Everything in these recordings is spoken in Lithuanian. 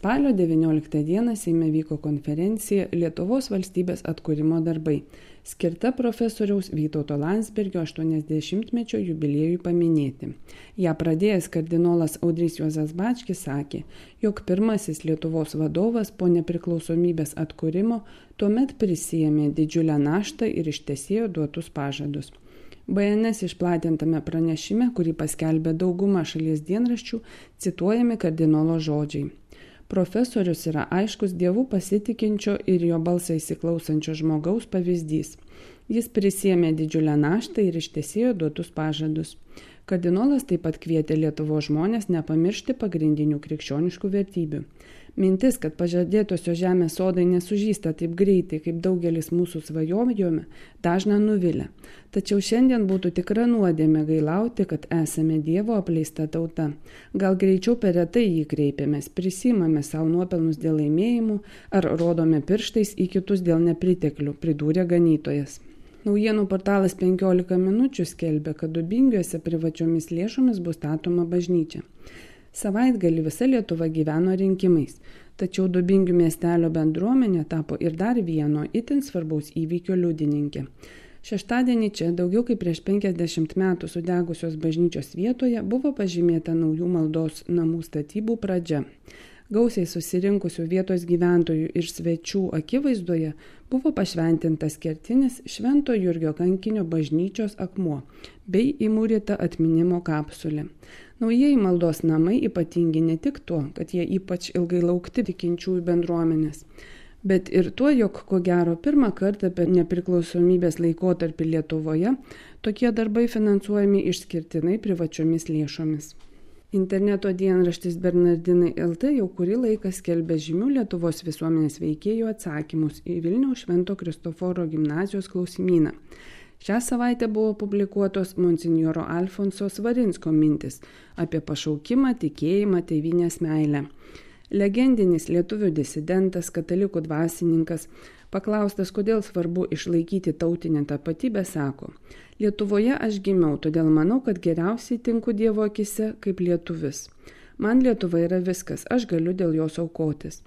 Spalio 19 dieną Seime vyko konferencija Lietuvos valstybės atkūrimo darbai, skirta profesoriaus Vytauto Landsbergio 80-mečio jubiliejui paminėti. Ją pradėjęs kardinolas Audrys Juozas Bačkis sakė, jog pirmasis Lietuvos vadovas po nepriklausomybės atkūrimo tuomet prisijėmė didžiulę naštą ir ištesėjo duotus pažadus. BNS išplatintame pranešime, kurį paskelbė dauguma šalies dienraščių, cituojami kardinolo žodžiai. Profesorius yra aiškus Dievu pasitikinčio ir jo balsą įsiklausančio žmogaus pavyzdys. Jis prisėmė didžiulę naštą ir ištesėjo duotus pažadus. Kardinolas taip pat kvietė Lietuvos žmonės nepamiršti pagrindinių krikščioniškų vertybių. Mintis, kad pažadėtosios žemės sodai nesužysta taip greitai, kaip daugelis mūsų svajojome, dažna nuvilia. Tačiau šiandien būtų tikra nuodėmė gailauti, kad esame Dievo apleista tauta. Gal greičiau per retai jį kreipiamės, prisimame savo nuopelnus dėl laimėjimų ar rodome pirštais į kitus dėl nepriteklių, pridūrė ganytojas. Naujienų portalas 15 minučių skelbia, kad Dubingiuose privačiomis lėšomis bus statoma bažnyčia. Savaitgalį visa Lietuva gyveno rinkimais, tačiau Dubingių miestelio bendruomenė tapo ir dar vieno itin svarbaus įvykio liudininkė. Šeštadienį čia, daugiau kaip prieš 50 metų sudegusios bažnyčios vietoje, buvo pažymėta naujų maldos namų statybų pradžia. Gausiai susirinkusių vietos gyventojų ir svečių akivaizdoje buvo pašventintas kertinis Švento Jurgio kankinio bažnyčios akmuo bei įmūryta atminimo kapsulė. Naujieji maldos namai ypatingi ne tik tuo, kad jie ypač ilgai laukti tikinčiųjų bendruomenės, bet ir tuo, jog ko gero pirmą kartą per nepriklausomybės laikotarpį Lietuvoje tokie darbai finansuojami išskirtinai privačiomis lėšomis. Interneto dienraštis Bernardinai LT jau kurį laiką skelbia žymių Lietuvos visuomenės veikėjų atsakymus į Vilniaus Švento Kristoforo gimnazijos klausimyną. Šią savaitę buvo publikuotos monsinjoro Alfonso Svarinsko mintis apie pašaukimą, tikėjimą, tėvynės meilę. Legendinis lietuvių disidentas, katalikų dvasininkas, paklaustas, kodėl svarbu išlaikyti tautinę tapatybę, sako: Lietuvoje aš gimiau, todėl manau, kad geriausiai tinku Dievo akise kaip lietuvis. Man Lietuva yra viskas, aš galiu dėl jos aukotis.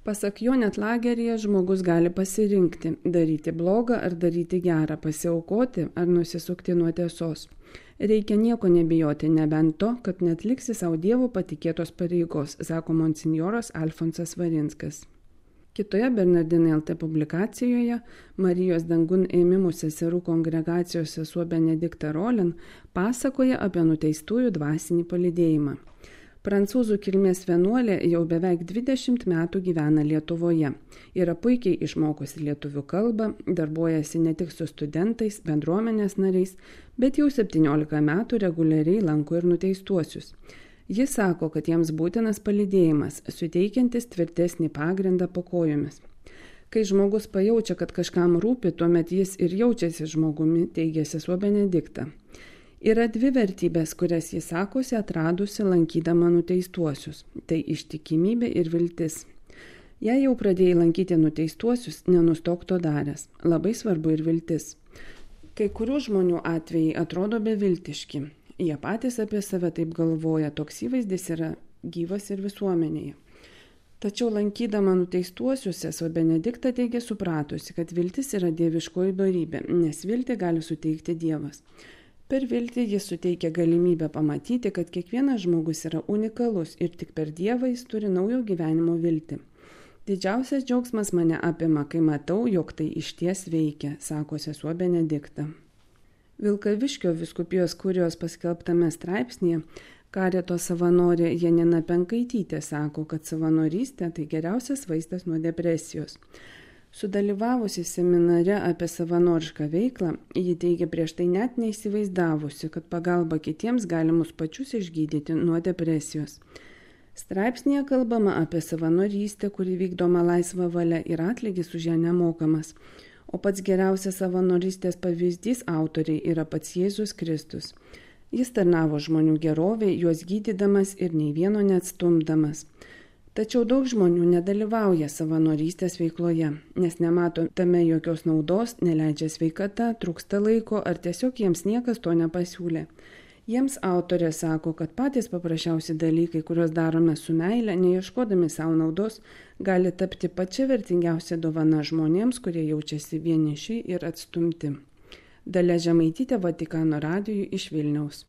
Pasak jo, net lageryje žmogus gali pasirinkti – daryti blogą ar daryti gerą, pasiaukoti ar nusisukti nuo tiesos. Reikia nieko nebijoti, nebent to, kad netliksi savo Dievo patikėtos pareigos, sako monsinjoras Alfonsas Svarinskas. Kitoje Bernardinai LT publikacijoje Marijos dangun ėmimų seserų kongregacijos sesuo Benedikta Rolin pasakoja apie nuteistųjų dvasinį palydėjimą. Prancūzų kilmės vienuolė jau beveik 20 metų gyvena Lietuvoje. Yra puikiai išmokusi lietuvių kalbą, darbuojasi ne tik su studentais, bendruomenės nariais, bet jau 17 metų reguliariai lanko ir nuteistuosius. Jis sako, kad jiems būtinas palydėjimas, suteikiantis tvirtesnį pagrindą po kojomis. Kai žmogus pajaučia, kad kažkam rūpi, tuomet jis ir jaučiasi žmogumi, teigia sesuo Benedikta. Yra dvi vertybės, kurias jis sakosi atradusi lankydama nuteistuosius. Tai ištikimybė ir viltis. Jei jau pradėjai lankyti nuteistuosius, nenustok to daręs. Labai svarbu ir viltis. Kai kurių žmonių atvejai atrodo beviltiški. Jie patys apie save taip galvoja, toks įvaizdis yra gyvas ir visuomenėje. Tačiau lankydama nuteistuosius, sesuo Benedikta teigia supratusi, kad viltis yra dieviškoji dorybė, nes viltį gali suteikti Dievas. Per viltį jis suteikia galimybę pamatyti, kad kiekvienas žmogus yra unikalus ir tik per Dievą jis turi naujo gyvenimo viltį. Didžiausias džiaugsmas mane apima, kai matau, jog tai išties veikia, sako sesuo Benedikta. Vilkaviškio vyskupijos kurijos paskelbtame straipsnėje karito savanorė Janina Penkaitytė sako, kad savanorystė tai geriausias vaistas nuo depresijos. Sudalyvavusi seminare apie savanorišką veiklą, ji teigia prieš tai net neįsivaizdavusi, kad pagalba kitiems gali mus pačius išgydyti nuo depresijos. Straipsnėje kalbama apie savanorystę, kuri vykdoma laisva valia ir atlygis už ją nemokamas. O pats geriausias savanorystės pavyzdys autoriai yra pats Jėzus Kristus. Jis tarnavo žmonių gerovei, juos gydydamas ir nei vieno neatstumdamas. Tačiau daug žmonių nedalyvauja savanorystės veikloje, nes nemato tame jokios naudos, neleidžia sveikata, trūksta laiko ar tiesiog jiems niekas to nepasiūlė. Jiems autorė sako, kad patys paprasčiausi dalykai, kuriuos darome su meile, neieškodami savo naudos, gali tapti pačia vertingiausia dovana žmonėms, kurie jaučiasi vieniši ir atstumti. Dalia Žemaitytė, Vatikano radijui iš Vilniaus.